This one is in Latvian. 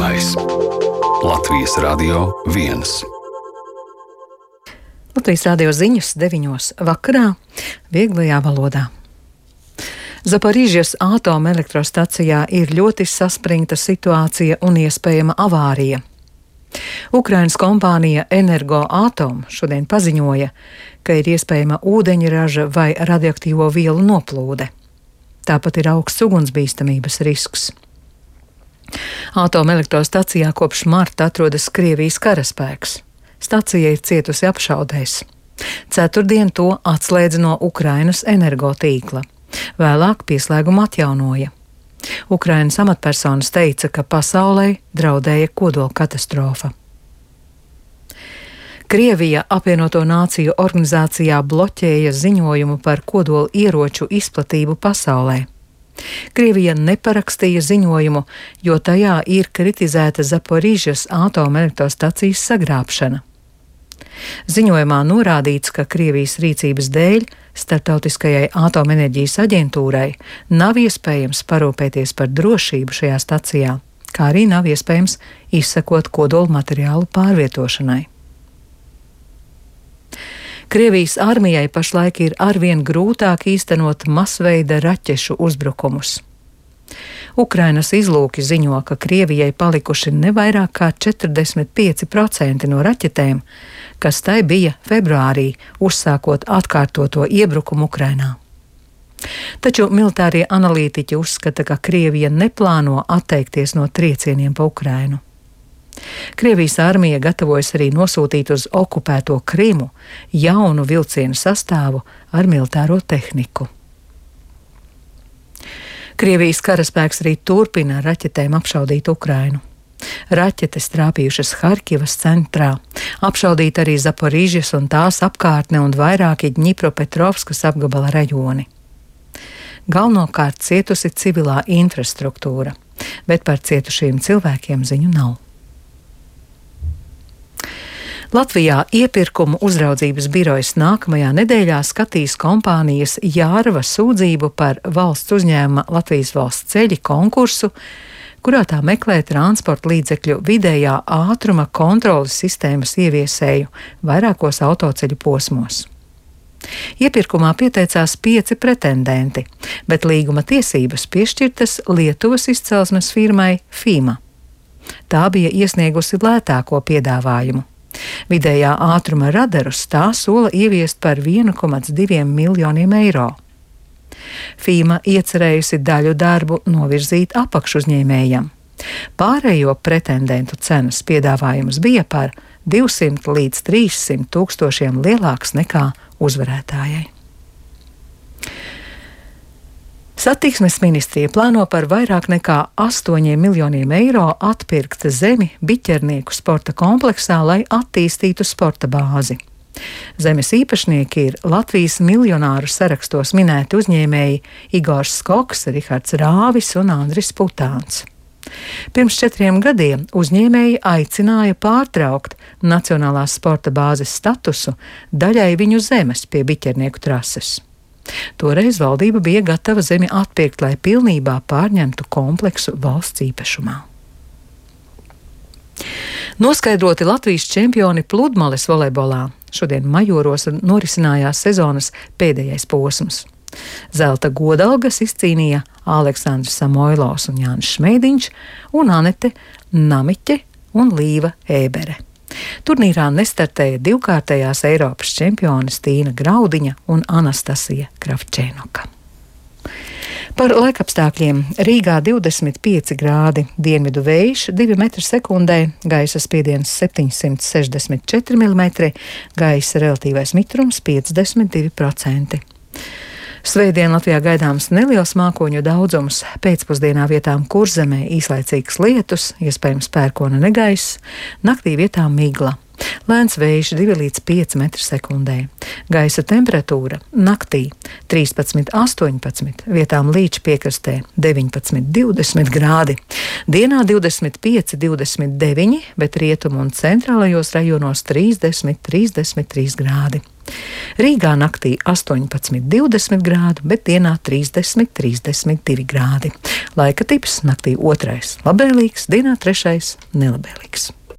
Zināmais Latvijas Radio 1. Latvijas radio ziņas 9. vakarā vieglajā valodā. Zaporīžas atomelektrostacijā ir ļoti saspringta situācija un iespējama avārija. Ukrainas kompānija Energoatom šodien paziņoja, ka ir iespējama ūdeņraža vai radioaktīvo vielu noplūde. Tāpat ir augsts ugunsbīstamības risks. Atomelektrostacijā kopš marta atrodas Krievijas karaspēks. Stacija ir cietusi apšaudēs. Ceturtdien to atslēdza no Ukrainas energotīkla. Vēlāk pieslēgumu atjaunoja. Ukrainas amatpersonas teica, ka pasaulē draudēja kodola katastrofa. Krievija apvienoto nāciju organizācijā bloķēja ziņojumu par kodola ieroču izplatību pasaulē. Krievija neparakstīja ziņojumu, jo tajā ir kritizēta Zaporīžas atomelektrostacijas sagrābšana. Ziņojumā norādīts, ka Krievijas rīcības dēļ Starptautiskajai atomenerģijas aģentūrai nav iespējams parūpēties par drošību šajā stacijā, kā arī nav iespējams izsekot kodola materiālu pārvietošanai. Krievijas armijai pašlaik ir arvien grūtāk īstenot masveida raķešu uzbrukumus. Ukrainas izlūki ziņo, ka Krievijai palikuši ne vairāk kā 45% no raķetēm, kas tai bija februārī, uzsākot atkārtoto iebrukumu Ukrainā. Taču militārie analītiķi uzskata, ka Krievija neplāno atteikties no triecieniem pa Ukrainu. Krievijas armija gatavojas arī nosūtīt uz okupēto Krimu jaunu vilcienu sastāvu ar militāro tehniku. Krievijas karaspēks arī turpina ar raķetēm apšaudīt Ukrainu. Raķetes trāpījušas Harkivas centrā, apšaudīt arī Zaporīžas un tās apkārtne un vairāki Dņipropetrovskas apgabala rajoni. Galvenokārt cietusi civilā infrastruktūra, bet par cietušiem cilvēkiem ziņu nav. Latvijā iepirkumu uzraudzības birojas nākamajā nedēļā skatīs kompānijas Jārva sūdzību par valsts uzņēmuma Latvijas valsts ceļi konkursu, kurā tā meklē transporta līdzekļu vidējā ātruma kontroles sistēmas ieviesēju vairākos autoceļu posmos. Iepirkumā pieteicās 5 pretendenti, bet līguma tiesības piešķirtas Lietuvas izcelsmes firmai FIMA. Tā bija iesniegusi lētāko piedāvājumu. Vidējā ātruma radarus tā sola ieviest par 1,2 miljoniem eiro. FIMA iecerējusi daļu darbu novirzīt apakšuzņēmējam. Pārējo pretendentu cenas piedāvājums bija par 200 līdz 300 tūkstošiem lielāks nekā uzvarētājai. Satiksmes ministrija plāno par vairāk nekā 8 miljoniem eiro atpirkt zemi Biķernieku sporta kompleksā, lai attīstītu sporta bāzi. Zemes īpašnieki ir Latvijas miljonāru sarakstos minēti uzņēmēji Igors Skoks, Rihards Rāvis un Andris Putāns. Pirms 4 gadiem uzņēmēji aicināja pārtraukt Nacionālās sporta bāzes statusu daļai viņu zemes pie Biķernieku trases. Toreiz valdība bija gatava zemi atpirkt, lai pilnībā pārņemtu kompleksu valsts īpašumā. Noskaidroti Latvijas čempioni pludmales volejbolā. Šodien Majoros norisinājās sezonas pēdējais posms. Zelta godalgas izcīnīja Aleksandrs Samoilovs un Jānis Šmeidiņš un Anete Namiķe un Līva Ēbere. Turnīrā nestartēja divkārtējās Eiropas čempiones Tīna Graudiņa un Anastasija Kravčēnoka. Par laikapstākļiem Rīgā 25 grādi, dienvidu vējš 2 metri sekundē, gaisa spiediens 764 mm, gaisa relatīvais mitrums 52%. Svētdien Latvijā gaidāms neliels mākoņu daudzums, pēcpusdienā vietām Kurzemē īslaicīgs lietus, iespējams pērkona negaiss, naktī vietām migla. Lēns vējš 2 līdz 5 metri sekundē. Gaisa temperatūra naktī 13–18, vietām līča piekrastē 19–20 grādi. Dienā 25–29, bet rietumu un centrālajos rajonos 30–33 grādi. Rīgā naktī 18–20 grādu, bet dienā 30–32 grādi. Laika tips naktī 2. labvēlīgs, dienā 3. nelabvēlīgs.